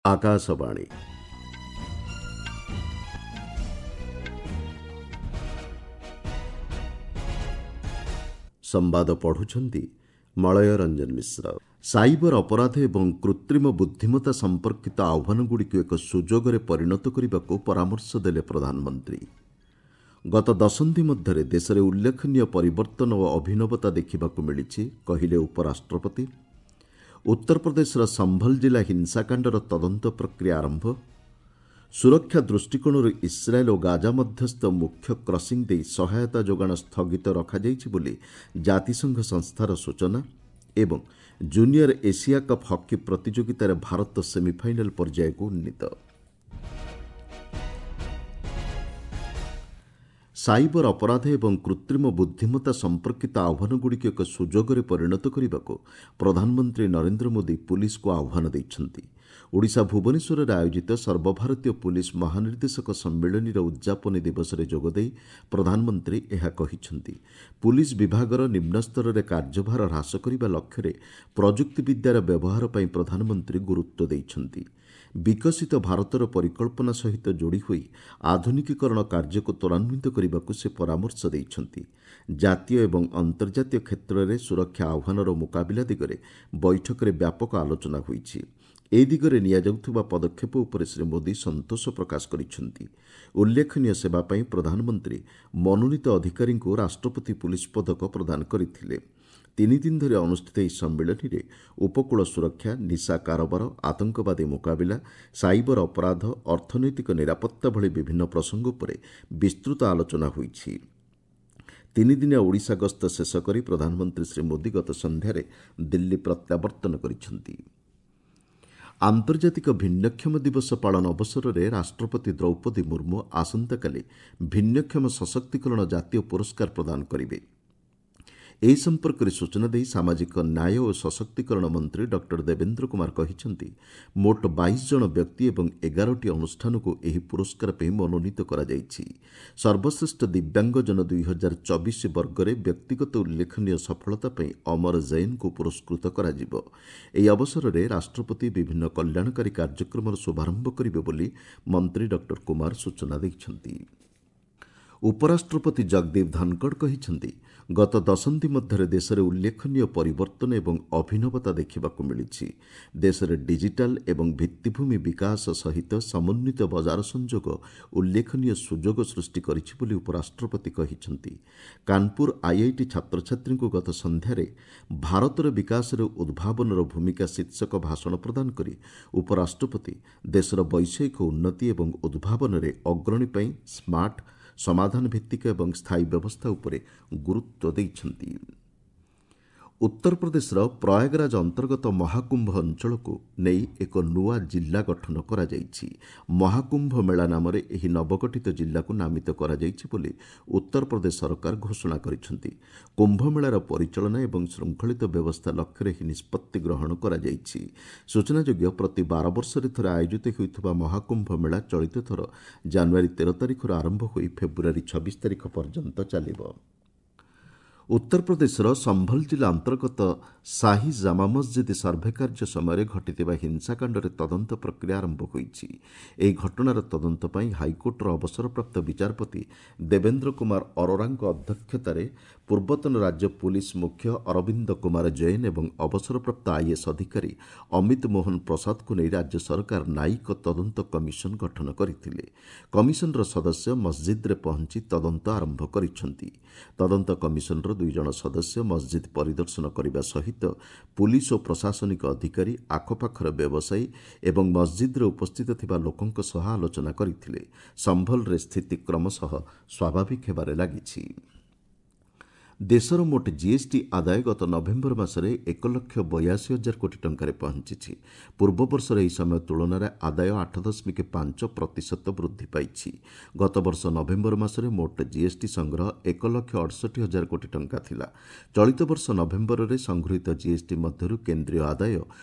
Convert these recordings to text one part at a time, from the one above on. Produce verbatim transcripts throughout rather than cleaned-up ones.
ଆକାଶବାଣୀ। ସମ୍ବାଦ ପଢ଼ୁଛନ୍ତି ମଳୟ ରଞ୍ଜନ ମିଶ୍ର। ସାଇବର ଅପରାଧ ଏବଂ କୃତ୍ରିମ ବୁଦ୍ଧିମତ୍ତା ସମ୍ପର୍କିତ ଆହ୍ୱାନଗୁଡ଼ିକୁ ଏକ ସୁଯୋଗରେ ପରିଣତ କରିବାକୁ ପରାମର୍ଶ ଦେଲେ ପ୍ରଧାନମନ୍ତ୍ରୀ। ଗତ ଦଶନ୍ଧି ମଧ୍ୟରେ ଦେଶରେ ଉଲ୍ଲେଖନୀୟ ପରିବର୍ତ୍ତନ ଓ ଅଭିନବତା ଦେଖିବାକୁ ମିଳିଛି, କହିଲେ ଉପରାଷ୍ଟ୍ରପତି। ଉତ୍ତରପ୍ରଦେଶର ସମ୍ଭଲ ଜିଲ୍ଲା ହିଂସାକାଣ୍ଡର ତଦନ୍ତ ପ୍ରକ୍ରିୟା ଆରମ୍ଭ। ସୁରକ୍ଷା ଦୃଷ୍ଟିକୋଣରୁ ଇସ୍ରାଏଲ୍ ଓ ଗାଜା ମଧ୍ୟସ୍ଥ ମୁଖ୍ୟ କ୍ରସିଂ ଦେଇ ସହାୟତା ଯୋଗାଣ ସ୍ଥଗିତ ରଖାଯାଇଛି ବୋଲି ଜାତିସଂଘ ସଂସ୍ଥାର ସୂଚନା ଏବଂ ଜୁନିୟର ଏସିଆ କପ୍ ହକି ପ୍ରତିଯୋଗିତାରେ ଭାରତ ସେମିଫାଇନାଲ୍ ପର୍ଯ୍ୟାୟକୁ ଉନ୍ନୀତ। ସାଇବର ଅପରାଧ ଏବଂ କୃତ୍ରିମ ବୁଦ୍ଧିମତ୍ତା ସମ୍ପର୍କିତ ଆହ୍ୱାନଗୁଡ଼ିକୁ ଏକ ସୁଯୋଗରେ ପରିଣତ କରିବାକୁ ପ୍ରଧାନମନ୍ତ୍ରୀ ନରେନ୍ଦ୍ର ମୋଦି ପୁଲିସକୁ ଆହ୍ୱାନ ଦେଇଛନ୍ତି। ଓଡ଼ିଶା ଭୁବନେଶ୍ୱରରେ ଆୟୋଜିତ ସର୍ବଭାରତୀୟ ପୁଲିସ ମହାନିର୍ଦ୍ଦେଶକ ସମ୍ମିଳନୀର ଉଦ୍ଯାପନୀ ଦିବସରେ ଯୋଗଦେଇ ପ୍ରଧାନମନ୍ତ୍ରୀ ଏହା କହିଛନ୍ତି। ପୁଲିସ ବିଭାଗର ନିମ୍ନସ୍ତରରେ କାର୍ଯ୍ୟଭାର ହ୍ରାସ କରିବା ଲକ୍ଷ୍ୟରେ ପ୍ରଯୁକ୍ତିବିଦ୍ୟାର ବ୍ୟବହାର ପାଇଁ ପ୍ରଧାନମନ୍ତ୍ରୀ ଗୁରୁତ୍ୱ ଦେଇଛନ୍ତି। ବିକଶିତ ଭାରତର ପରିକଳ୍ପନା ସହିତ ଯୋଡ଼ି ହୋଇ ଆଧୁନିକୀକରଣ କାର୍ଯ୍ୟକୁ ତ୍ୱରାନ୍ୱିତ କରିବାକୁ ସେ ପରାମର୍ଶ ଦେଇଛନ୍ତି। ଜାତୀୟ ଏବଂ ଅନ୍ତର୍ଜାତୀୟ କ୍ଷେତ୍ରରେ ସୁରକ୍ଷା ଆହ୍ୱାନର ମୁକାବିଲା ଦିଗରେ ବୈଠକରେ ବ୍ୟାପକ ଆଲୋଚନା ହୋଇଛି। ଏ ଦିଗରେ ନିଆଯାଉଥିବା ପଦକ୍ଷେପ ଉପରେ ଶ୍ରୀ ମୋଦି ସନ୍ତୋଷ ପ୍ରକାଶ କରିଛନ୍ତି। ଉଲ୍ଲେଖନୀୟ ସେବା ପାଇଁ ପ୍ରଧାନମନ୍ତ୍ରୀ ମନୋନୀତ ଅଧିକାରୀଙ୍କୁ ରାଷ୍ଟ୍ରପତି ପୁଲିସ ପଦକ ପ୍ରଦାନ କରିଥିଲେ। ତିନି ଦିନ ଧରି ଅନୁଷ୍ଠିତ ଏହି ସମ୍ମିଳନୀରେ ଉପକୂଳ ସୁରକ୍ଷା, ନିଶା କାରବାର, ଆତଙ୍କବାଦୀ ମୁକାବିଲା, ସାଇବର ଅପରାଧ, ଅର୍ଥନୈତିକ ନିରାପତ୍ତା ଭଳି ବିଭିନ୍ନ ପ୍ରସଙ୍ଗ ଉପରେ ବିସ୍ତୃତ ଆଲୋଚନା ହୋଇଛି। ତିନିଦିନିଆ ଓଡ଼ିଶା ଗସ୍ତ ଶେଷ କରି ପ୍ରଧାନମନ୍ତ୍ରୀ ଶ୍ରୀ ମୋଦି ଗତ ସନ୍ଧ୍ୟାରେ ଦିଲ୍ଲୀ ପ୍ରତ୍ୟାବର୍ତ୍ତନ କରିଛନ୍ତି। ଆନ୍ତର୍ଜାତିକ ଭିନ୍ନକ୍ଷମ ଦିବସ ପାଳନ ଅବସରରେ ରାଷ୍ଟ୍ରପତି ଦ୍ରୌପଦୀ ମୁର୍ମୁ ଆସନ୍ତାକାଲି ଭିନ୍ନକ୍ଷମ ସଶକ୍ତିକରଣ ଜାତୀୟ ପୁରସ୍କାର ପ୍ରଦାନ କରିବେ। ଏହି ସମ୍ପର୍କରେ ସୂଚନା ଦେଇ ସାମାଜିକ ନ୍ୟାୟ ଓ ସଶକ୍ତିକରଣ ମନ୍ତ୍ରୀ ଡକ୍ଟର ଦେବେନ୍ଦ୍ର କୁମାର କହିଛନ୍ତି, ମୋଟ ବାଇଶ ଜଣ ବ୍ୟକ୍ତି ଏବଂ ଏଗାରଟି ଅନୁଷ୍ଠାନକୁ ଏହି ପୁରସ୍କାର ପାଇଁ ମନୋନୀତ କରାଯାଇଛି। ସର୍ବଶ୍ରେଷ୍ଠ ଦିବ୍ୟାଙ୍ଗଜନ ଦୁଇ ହଜାର ଚବିଶ ବର୍ଗରେ ବ୍ୟକ୍ତିଗତ ଉଲ୍ଲେଖନୀୟ ସଫଳତା ପାଇଁ ଅମର ଜୈନଙ୍କୁ ପୁରସ୍କୃତ କରାଯିବ। ଏହି ଅବସରରେ ରାଷ୍ଟ୍ରପତି ବିଭିନ୍ନ କଲ୍ୟାଣକାରୀ କାର୍ଯ୍ୟକ୍ରମର ଶୁଭାରମ୍ଭ କରିବେ ବୋଲି ମନ୍ତ୍ରୀ ଡକ୍ଟର କୁମାର ସୂଚନା ଦେଇଛନ୍ତି। ଉପରାଷ୍ଟ୍ରପତି ଜଗଦୀପ ଧନଖଡ଼ କହିଛନ୍ତି, ଗତ ଦଶନ୍ଧି ମଧ୍ୟରେ ଦେଶରେ ଉଲ୍ଲେଖନୀୟ ପରିବର୍ତ୍ତନ ଏବଂ ଅଭିନବତା ଦେଖିବାକୁ ମିଳିଛି। ଦେଶରେ ଡିଜିଟାଲ ଏବଂ ଭିତ୍ତିଭୂମି ବିକାଶ ସହିତ ସମନ୍ୱିତ ବଜାର ସଂଯୋଗ ଉଲ୍ଲେଖନୀୟ ସୁଯୋଗ ସୃଷ୍ଟି କରିଛି ବୋଲି ଉପରାଷ୍ଟ୍ରପତି କହିଛନ୍ତି। କାନପୁର ଆଇଆଇଟି ଛାତ୍ରଛାତ୍ରୀଙ୍କୁ ଗତ ସନ୍ଧ୍ୟାରେ ଭାରତର ବିକାଶରେ ଉଦ୍ଭାବନର ଭୂମିକା ଶୀର୍ଷକ ଭାଷଣ ପ୍ରଦାନ କରି ଉପରାଷ୍ଟ୍ରପତି ଦେଶର ବୈଷୟିକ ଉନ୍ନତି ଏବଂ ଉଦ୍ଭାବନରେ ଅଗ୍ରଣୀ ପାଇଁ ସ୍ମାର୍ଟ, ସମାଧାନ ଭିତ୍ତିକ ଏବଂ ସ୍ଥାୟୀ ବ୍ୟବସ୍ଥା ଉପରେ ଗୁରୁତ୍ୱ ଦେଇଛନ୍ତି। ଉତ୍ତରପ୍ରଦେଶର ପ୍ରୟାଗରାଜ ଅନ୍ତର୍ଗତ ମହାକୁମ୍ଭ ଅଞ୍ଚଳକୁ ନେଇ ଏକ ନୂଆ ଜିଲ୍ଲା ଗଠନ କରାଯାଇଛି। ମହାକୁମ୍ଭ ମେଳା ନାମରେ ଏହି ନବଗଠିତ ଜିଲ୍ଲାକୁ ନାମିତ କରାଯାଇଛି ବୋଲି ଉତ୍ତରପ୍ରଦେଶ ସରକାର ଘୋଷଣା କରିଛନ୍ତି। କୁମ୍ଭମେଳାର ପରିଚାଳନା ଏବଂ ଶୃଙ୍ଖଳିତ ବ୍ୟବସ୍ଥା ଲକ୍ଷ୍ୟରେ ଏହି ନିଷ୍ପତ୍ତି ଗ୍ରହଣ କରାଯାଇଛି। ସୂଚନାଯୋଗ୍ୟ, ପ୍ରତି ବାର ବର୍ଷରେ ଥରେ ଆୟୋଜିତ ହେଉଥିବା ମହାକୁମ୍ଭ ମେଳା ଚଳିତ ଥର ଜାନୁଆରୀ ତେର ତାରିଖରୁ ଆରମ୍ଭ ହୋଇ ଫେବୃଆରୀ ଛବିଶ ତାରିଖ ପର୍ଯ୍ୟନ୍ତ ଚାଲିବ। ଉତ୍ତରପ୍ରଦେଶର ସମ୍ଭଲ ଜିଲ୍ଲା ଅନ୍ତର୍ଗତ ସାହି ଜାମା ମସଜିଦ୍ ସର୍ଭେ କାର୍ଯ୍ୟ ସମୟରେ ଘଟିଥିବା ହିଂସାକାଣ୍ଡରେ ତଦନ୍ତ ପ୍ରକ୍ରିୟା ଆରମ୍ଭ ହୋଇଛି। ଏହି ଘଟଣାର ତଦନ୍ତ ପାଇଁ ହାଇକୋର୍ଟର ଅବସରପ୍ରାପ୍ତ ବିଚାରପତି ଦେବେନ୍ଦ୍ର କୁମାର ଅରୋରାଙ୍କ ଅଧ୍ୟକ୍ଷତାରେ ପୂର୍ବତନ ରାଜ୍ୟ ପୁଲିସ ମୁଖ୍ୟ ଅରବିନ୍ଦ କୁମାର ଜୈନ ଏବଂ ଅବସରପ୍ରାପ୍ତ ଆଇଏଏସ୍ ଅଧିକାରୀ ଅମିତ ମୋହନ ପ୍ରସାଦଙ୍କୁ ନେଇ ରାଜ୍ୟ ସରକାର ନ୍ୟାୟିକ ତଦନ୍ତ କମିଶନ ଗଠନ କରିଥିଲେ। କମିଶନର ସଦସ୍ୟ ମସଜିଦ୍ରେ ପହଞ୍ଚି ତଦନ୍ତ ଆରମ୍ଭ କରିଛନ୍ତି। ତଦନ୍ତ କମିଶନର ଦୁଇ ଜଣ ସଦସ୍ୟ ମସଜିଦ୍ ପରିଦର୍ଶନ କରିବା ସହିତ ପୁଲିସ ଓ ପ୍ରଶାସନିକ ଅଧିକାରୀ, ଆଖପାଖର ବ୍ୟବସାୟୀ ଏବଂ ମସଜିଦ୍ରେ ଉପସ୍ଥିତ ଥିବା ଲୋକଙ୍କ ସହ ଆଲୋଚନା କରିଥିଲେ। ସମ୍ଭଲରେ ସ୍ଥିତି କ୍ରମଶଃ ସ୍ୱାଭାବିକ ହେବାରେ ଲାଗିଛି। ଦେଶର ମୋଟ ଜିଏସ୍ଟି ଆଦାୟ ଗତ ନଭେମ୍ବର ମାସରେ ଏକ ଲକ୍ଷ ବୟାଅଶୀ ହଜାର କୋଟି ଟଙ୍କାରେ ପହଞ୍ଚିଛି। ପୂର୍ବବର୍ଷର ଏହି ସମୟ ତୁଳନାରେ ଆଦାୟ ଆଠ ଦଶମିକ ପାଞ୍ଚ ପ୍ରତିଶତ ବୃଦ୍ଧି ପାଇଛି। ଗତବର୍ଷ ନଭେମ୍ବର ମାସରେ ମୋଟ ଜିଏସ୍ଟି ସଂଗ୍ରହ ଏକ ଲକ୍ଷ ଅଠଷଠି ହଜାର କୋଟି ଟଙ୍କା ଥିଲା। ଚଳିତ ବର୍ଷ ନଭେମ୍ବରରେ ସଂଗୃହୀତ ଜିଏସ୍ଟି ମଧ୍ୟରୁ କେନ୍ଦ୍ରୀୟ ଆଦାୟ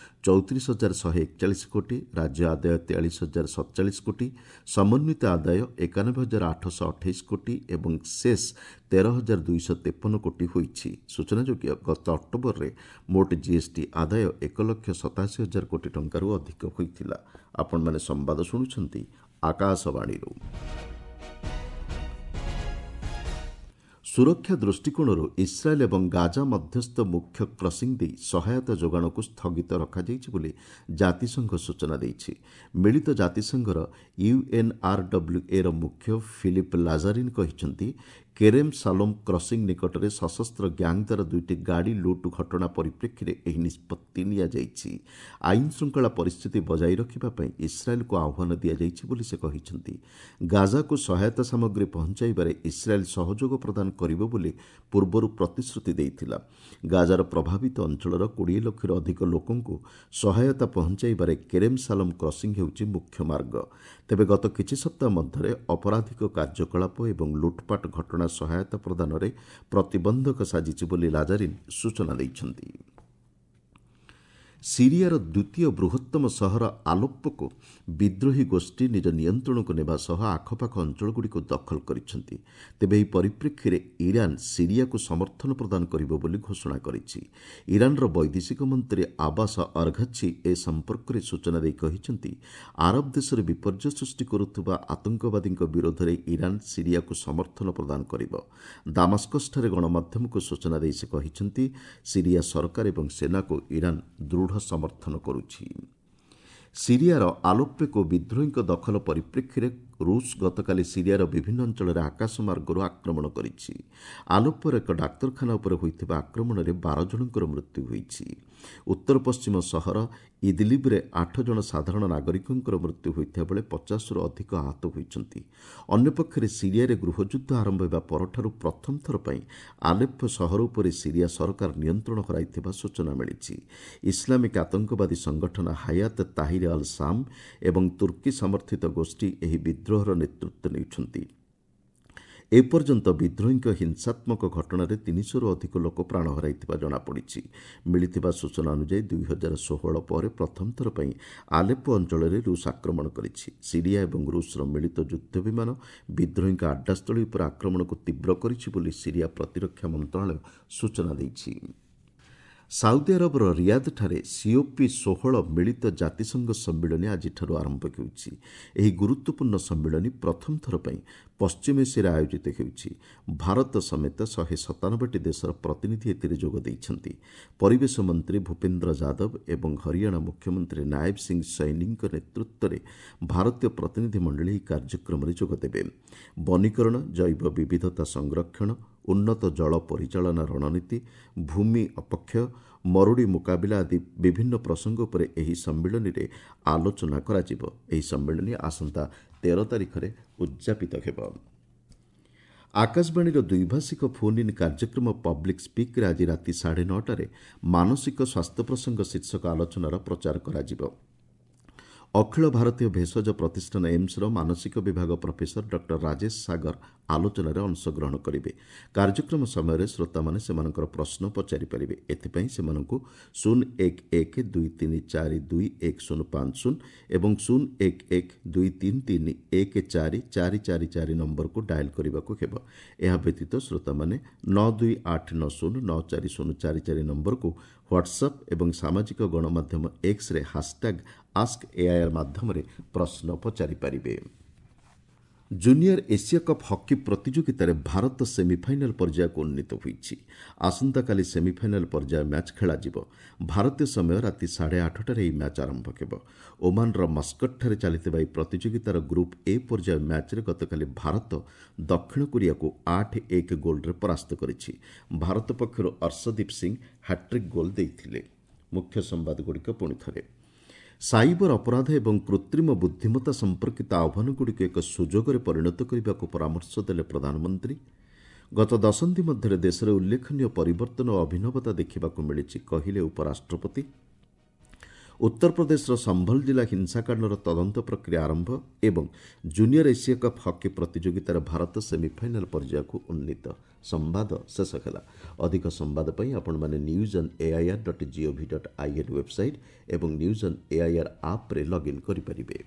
ଚଉତିରିଶ ହଜାର ଶହେ ଏକଚାଳିଶ କୋଟି, ରାଜ୍ୟ ଆଦାୟ ତେୟାଳିଶ ହଜାର ସତଚାଳିଶ କୋଟି, ସମନ୍ୱିତ ଆଦାୟ ଏକାନବେ ହଜାର ଆଠଶହ ଅଠେଇଶ କୋଟି ଏବଂ ସେସ୍ ତେର ହଜାର ଦୁଇଶହ ତେପନ କୋଟି ହୋଇଛି। ସୂଚନାଯୋଗ୍ୟ, ଗତ ଅକ୍ଟୋବରରେ ମୋଟ ଜିଏସ୍ଟି ଆଦାୟ ଏକ ଲକ୍ଷ ସତାଅଶୀ ହଜାର କୋଟି ଟଙ୍କାରୁ ଅଧିକ ହୋଇଥିଲା। ଆପଣମାନେ ସମ୍ବାଦ ଶୁଣୁଛନ୍ତି ଆକାଶବାଣୀରୁ। ସୁରକ୍ଷା ଦୃଷ୍ଟିକୋଣରୁ ଇସ୍ରାଏଲ୍ ଏବଂ ଗାଜା ମଧ୍ୟସ୍ଥ ମୁଖ୍ୟ କ୍ରସିଂ ଦେଇ ସହାୟତା ଯୋଗାଣକୁ ସ୍ଥଗିତ ରଖାଯାଇଛି ବୋଲି ଜାତିସଂଘ ସୂଚନା ଦେଇଛି। ମିଳିତ ଜାତିସଂଘର ୟୁଏନ୍ଆର୍ଡବ୍ଲ୍ୟୁଏର ମୁଖ୍ୟ ଫିଲିପ୍ ଲାଜାରିନ୍ କହିଛନ୍ତି, କେରେମ୍ ସାଲୋମ୍ କ୍ରସିଂ ନିକଟରେ ସଶସ୍ତ୍ର ଗ୍ୟାଙ୍ଗ ଦ୍ୱାରା ଦୁଇଟି ଗାଡ଼ି ଲୁଟ୍ ଘଟଣା ପରିପ୍ରେକ୍ଷୀରେ ଏହି ନିଷ୍ପତ୍ତି ନିଆଯାଇଛି। ଆଇନ ଶୃଙ୍ଖଳା ପରିସ୍ଥିତି ବଜାୟ ରଖିବା ପାଇଁ ଇସ୍ରାଏଲ୍କୁ ଆହ୍ୱାନ ଦିଆଯାଇଛି ବୋଲି ସେ କହିଛନ୍ତି। ଗାଜାକୁ ସହାୟତା ସାମଗ୍ରୀ ପହଞ୍ଚାଇବାରେ ଇସ୍ରାଏଲ୍ ସହଯୋଗ ପ୍ରଦାନ କରିବ ବୋଲି ପୂର୍ବରୁ ପ୍ରତିଶ୍ରୁତି ଦେଇଥିଲା। ଗାଜାର ପ୍ରଭାବିତ ଅଞ୍ଚଳର କୋଡ଼ିଏ ଲକ୍ଷରୁ ଅଧିକ ଲୋକଙ୍କୁ ସହାୟତା ପହଞ୍ଚାଇବାରେ କେରେମ୍ ସାଲମ୍ କ୍ରସିଂ ହେଉଛି ମୁଖ୍ୟ ମାର୍ଗ। ତେବେ ଗତ କିଛି ସପ୍ତାହ ମଧ୍ୟରେ ଅପରାଧିକ କାର୍ଯ୍ୟକଳାପ ଏବଂ ଲୁଟ୍ପାଟ ଘଟଣା ସହାୟତା ପ୍ରଦାନରେ ପ୍ରତିବନ୍ଧକ ସାଜିଛି ବୋଲି ଲାଜାରିନ୍ ସୂଚନା ଦେଇଛନ୍ତି। ସିରିଆର ଦ୍ୱିତୀୟ ବୃହତ୍ତମ ସହର ଆଲୋପ୍ପୋକୁ ବିଦ୍ରୋହୀ ଗୋଷ୍ଠୀ ନିଜ ନିୟନ୍ତ୍ରଣକୁ ନେବା ସହ ଆଖପାଖ ଅଞ୍ଚଳଗୁଡ଼ିକୁ ଦଖଲ କରିଛନ୍ତି। ତେବେ ଏହି ପରିପ୍ରେକ୍ଷୀରେ ଇରାନ୍ ସିରିଆକୁ ସମର୍ଥନ ପ୍ରଦାନ କରିବ ବୋଲି ଘୋଷଣା କରିଛି। ଇରାନ୍ର ବୈଦେଶିକ ମନ୍ତ୍ରୀ ଆବାସ ଅର୍ଘଛି ଏ ସମ୍ପର୍କରେ ସୂଚନା ଦେଇ କହିଛନ୍ତି, ଆରବ ଦେଶରେ ବିପର୍ଯ୍ୟୟ ସୃଷ୍ଟି କରୁଥିବା ଆତଙ୍କବାଦୀଙ୍କ ବିରୋଧରେ ଇରାନ୍ ସିରିଆକୁ ସମର୍ଥନ ପ୍ରଦାନ କରିବ। ଦାମାସ୍କସଠାରେ ଗଣମାଧ୍ୟମକୁ ସୂଚନା ଦେଇ ସେ କହିଛନ୍ତି, ସିରିଆ ସରକାର ଏବଂ ସେନାକୁ ଇରାନ୍ ଦୃଢ଼ ସମର୍ଥନ କରୁଛି। ସିରିଆର ଆଲୋପ୍ପୋକୁ ବିଦ୍ରୋହୀଙ୍କ ଦଖଲ ପରିପ୍ରେକ୍ଷୀରେ ରୁଷ ଗତକାଲି ସିରିଆର ବିଭିନ୍ନ ଅଞ୍ଚଳରେ ଆକାଶମାର୍ଗରୁ ଆକ୍ରମଣ କରିଛି। ଆଲୋପ୍ପୋର ଏକ ଡାକ୍ତରଖାନା ଉପରେ ହୋଇଥିବା ଆକ୍ରମଣରେ ବାର ଜଣଙ୍କର ମୃତ୍ୟୁ ହୋଇଛି। ଉତ୍ତର ପଶ୍ଚିମ ସହର ଇଦିଲିବ୍ରେ ଆଠ ଜଣ ସାଧାରଣ ନାଗରିକଙ୍କର ମୃତ୍ୟୁ ହୋଇଥିବା ବେଳେ ପଚାଶରୁ ଅଧିକ ଆହତ ହୋଇଛନ୍ତି। ଅନ୍ୟପକ୍ଷରେ ସିରିଆରେ ଗୃହଯୁଦ୍ଧ ଆରମ୍ଭ ହେବା ପରଠାରୁ ପ୍ରଥମ ଥର ପାଇଁ ଆଲେପ୍ପୋ ସହର ଉପରେ ସିରିଆ ସରକାର ନିୟନ୍ତ୍ରଣ ହରାଇଥିବା ସୂଚନା ମିଳିଛି। ଇସଲାମିକ୍ ଆତଙ୍କବାଦୀ ସଂଗଠନ ହାୟାତ ତାହିର ଅଲ୍ ଶାମ୍ ଏବଂ ତୁର୍କୀ ସମର୍ଥିତ ଗୋଷ୍ଠୀ ଏହି ବିଦ୍ରୋହର ନେତୃତ୍ୱ ନେଉଛନ୍ତି। ଏପର୍ଯ୍ୟନ୍ତ ବିଦ୍ରୋହୀଙ୍କ ହିଂସାତ୍ମକ ଘଟଣାରେ ତିନିଶହରୁ ଅଧିକ ଲୋକ ପ୍ରାଣ ହରାଇଥିବା ଜଣାପଡ଼ିଛି। ମିଳିଥିବା ସୂଚନା ଅନୁଯାୟୀ ଦୁଇ ହଜାର ଷୋହଳ ପରେ ପ୍ରଥମ ଥର ପାଇଁ ଆଲେପ୍ପୋ ଅଞ୍ଚଳରେ ରୁଷ ଆକ୍ରମଣ କରିଛି। ସିରିଆ ଏବଂ ରୁଷର ମିଳିତ ଯୁଦ୍ଧ ବିମାନ ବିଦ୍ରୋହୀଙ୍କ ଆଡ୍ଡାସ୍ଥଳୀ ଉପରେ ଆକ୍ରମଣକୁ ତୀବ୍ର କରିଛି ବୋଲି ସିରିଆ ପ୍ରତିରକ୍ଷା ମନ୍ତ୍ରଣାଳୟ ସୂଚନା ଦେଇଛି। ସାଉଦି ଆରବର ରିୟାଦଠାରେ ସିଓପି ଷୋହଳ ମିଳିତ ଜାତିସଂଘ ସମ୍ମିଳନୀ ଆଜିଠାରୁ ଆରମ୍ଭ ହେଉଛି। ଏହି ଗୁରୁତ୍ୱପୂର୍ଣ୍ଣ ସମ୍ମିଳନୀ ପ୍ରଥମ ଥର ପାଇଁ ପଶ୍ଚିମ ଏସିଆରେ ଆୟୋଜିତ ହେଉଛି। ଭାରତ ସମେତ ଶହେ ସତାନବେଟି ଦେଶର ପ୍ରତିନିଧି ଏଥିରେ ଯୋଗ ଦେଇଛନ୍ତି। ପରିବେଶ ମନ୍ତ୍ରୀ ଭୂପେନ୍ଦ୍ର ଯାଦବ ଏବଂ ହରିୟାଣା ମୁଖ୍ୟମନ୍ତ୍ରୀ ନାୟବ ସିଂ ସୈନୀଙ୍କ ନେତୃତ୍ୱରେ ଭାରତୀୟ ପ୍ରତିନିଧି ମଣ୍ଡଳୀ ଏହି କାର୍ଯ୍ୟକ୍ରମରେ ଯୋଗଦେବେ। ବନୀକରଣ, ଜୈବ ବିବିଧତା ସଂରକ୍ଷଣ, ଉନ୍ନତ ଜଳ ପରିଚାଳନା ରଣନୀତି, ଭୂମି ଅପକ୍ଷୟ, ମରୁଡ଼ି ମୁକାବିଲା ଆଦି ବିଭିନ୍ନ ପ୍ରସଙ୍ଗ ଉପରେ ଏହି ସମ୍ମିଳନୀରେ ଆଲୋଚନା କରାଯିବ। ଏହି ସମ୍ମିଳନୀ ଆସନ୍ତା ତେର ତାରିଖରେ ଉଦ୍ଯାପିତ ହେବ। ଆକାଶବାଣୀର ଦ୍ୱିଭାଷିକ ଫୋନ୍ ଇନ୍ କାର୍ଯ୍ୟକ୍ରମ ପବ୍ଲିକ୍ ସ୍ପିକ୍ରେ ଆଜି ରାତି ସାଢ଼େ ନଅଟାରେ ମାନସିକ ସ୍ୱାସ୍ଥ୍ୟ ପ୍ରସଙ୍ଗ ଶୀର୍ଷକ ଆଲୋଚନାର ପ୍ରଚାର କରାଯିବ। ଅଖିଳ ଭାରତୀୟ ଭେଷଜ ପ୍ରତିଷ୍ଠାନ ଏମ୍ସର ମାନସିକ ବିଭାଗ ପ୍ରଫେସର ଡକ୍ଟର ରାଜେଶ ସାଗର ଆଲୋଚନାରେ ଅଂଶଗ୍ରହଣ କରିବେ। କାର୍ଯ୍ୟକ୍ରମ ସମୟରେ ଶ୍ରୋତାମାନେ ସେମାନଙ୍କର ପ୍ରଶ୍ନ ପଚାରିପାରିବେ। ଏଥିପାଇଁ ସେମାନଙ୍କୁ ଶୂନ ଏକ ଏକ ଦୁଇ ତିନି ଚାରି ଦୁଇ ଏକ ଶୂନ ପାଞ୍ଚ ଶୂନ ଏବଂ ଶୂନ ଏକ ଏକ ଦୁଇ ତିନି ତିନି ଏକ ଚାରି ଚାରି ଚାରି ଚାରି ନମ୍ବରକୁ ଡାଏଲ୍ କରିବାକୁ ହେବ। ଏହା ବ୍ୟତୀତ ଶ୍ରୋତାମାନେ ନଅ ଦୁଇ ଆଠ ନଅ ଶୂନ ନଅ ଚାରି ଶୂନ ଚାରି ଚାରି ନମ୍ବରକୁ ହ୍ୱାଟ୍ସଆପ୍ ଏବଂ ସାମାଜିକ ଗଣମାଧ୍ୟମ ଏକ୍ସରେ ହାସଟ୍ୟାଗ୍ ଆସ୍କ ଏଆଇଆର୍ ମାଧ୍ୟମରେ ପ୍ରଶ୍ନ ପଚାରିପାରିବେ। ଜୁନିୟର ଏସିଆ କପ୍ ହକି ପ୍ରତିଯୋଗିତାରେ ଭାରତ ସେମିଫାଇନାଲ୍ ପର୍ଯ୍ୟାୟକୁ ଉନ୍ନୀତ ହୋଇଛି। ଆସନ୍ତାକାଲି ସେମିଫାଇନାଲ୍ ପର୍ଯ୍ୟାୟ ମ୍ୟାଚ୍ ଖେଳାଯିବ। ଭାରତୀୟ ସମୟ ରାତି ସାଢ଼େ ଆଠଟାରେ ଏହି ମ୍ୟାଚ୍ ଆରମ୍ଭ ହେବ। ଓମାନର ମସ୍କଟଠାରେ ଚାଲିଥିବା ଏହି ପ୍ରତିଯୋଗିତାର ଗ୍ରୁପ୍ ଏ ପର୍ଯ୍ୟାୟ ମ୍ୟାଚ୍ରେ ଗତକାଲି ଭାରତ ଦକ୍ଷିଣ କୋରିଆକୁ ଆଠ ଏକ ଗୋଲ୍ରେ ପରାସ୍ତ କରିଛି। ଭାରତ ପକ୍ଷରୁ ଅର୍ଶଦୀପ ସିଂ ହ୍ୟାଟ୍ରିକ୍ ଗୋଲ୍ ଦେଇଥିଲେ। ମୁଖ୍ୟ ସମ୍ବାଦଗୁଡ଼ିକ ପୁଣି ଥରେ। ସାଇବର ଅପରାଧ ଏବଂ କୃତ୍ରିମ ବୁଦ୍ଧିମତ୍ତା ସମ୍ପର୍କିତ ଆହ୍ୱାନଗୁଡ଼ିକୁ ଏକ ସୁଯୋଗରେ ପରିଣତ କରିବାକୁ ପରାମର୍ଶ ଦେଲେ ପ୍ରଧାନମନ୍ତ୍ରୀ। ଗତ ଦଶନ୍ଧି ମଧ୍ୟରେ ଦେଶରେ ଉଲ୍ଲେଖନୀୟ ପରିବର୍ତ୍ତନ ଓ ଅଭିନବତା ଦେଖିବାକୁ ମିଳିଛି, କହିଲେ ଉପରାଷ୍ଟ୍ରପତି। ଉତ୍ତରପ୍ରଦେଶର ସମ୍ଭଲ ଜିଲ୍ଲା ହିଂସାକାଣ୍ଡର ତଦନ୍ତ ପ୍ରକ୍ରିୟା ଆରମ୍ଭ ଏବଂ ଜୁନିୟର ଏସିଆ କପ୍ ହକି ପ୍ରତିଯୋଗିତାରେ ଭାରତ ସେମିଫାଇନାଲ୍ ପର୍ଯ୍ୟାୟକୁ ଉନ୍ନୀତ। ସମ୍ବାଦ ଶେଷ ହେଲା। ଅଧିକ ସମ୍ବାଦ ପାଇଁ ଆପଣମାନେ news on AIR dot GOV dot IN website ଏବଂ ନ୍ୟୁଜ୍ ଅନ୍ ଏଆଇଆର୍ ଆପ୍ରେ ଲଗ୍ଇନ୍ କରିପାରିବେ।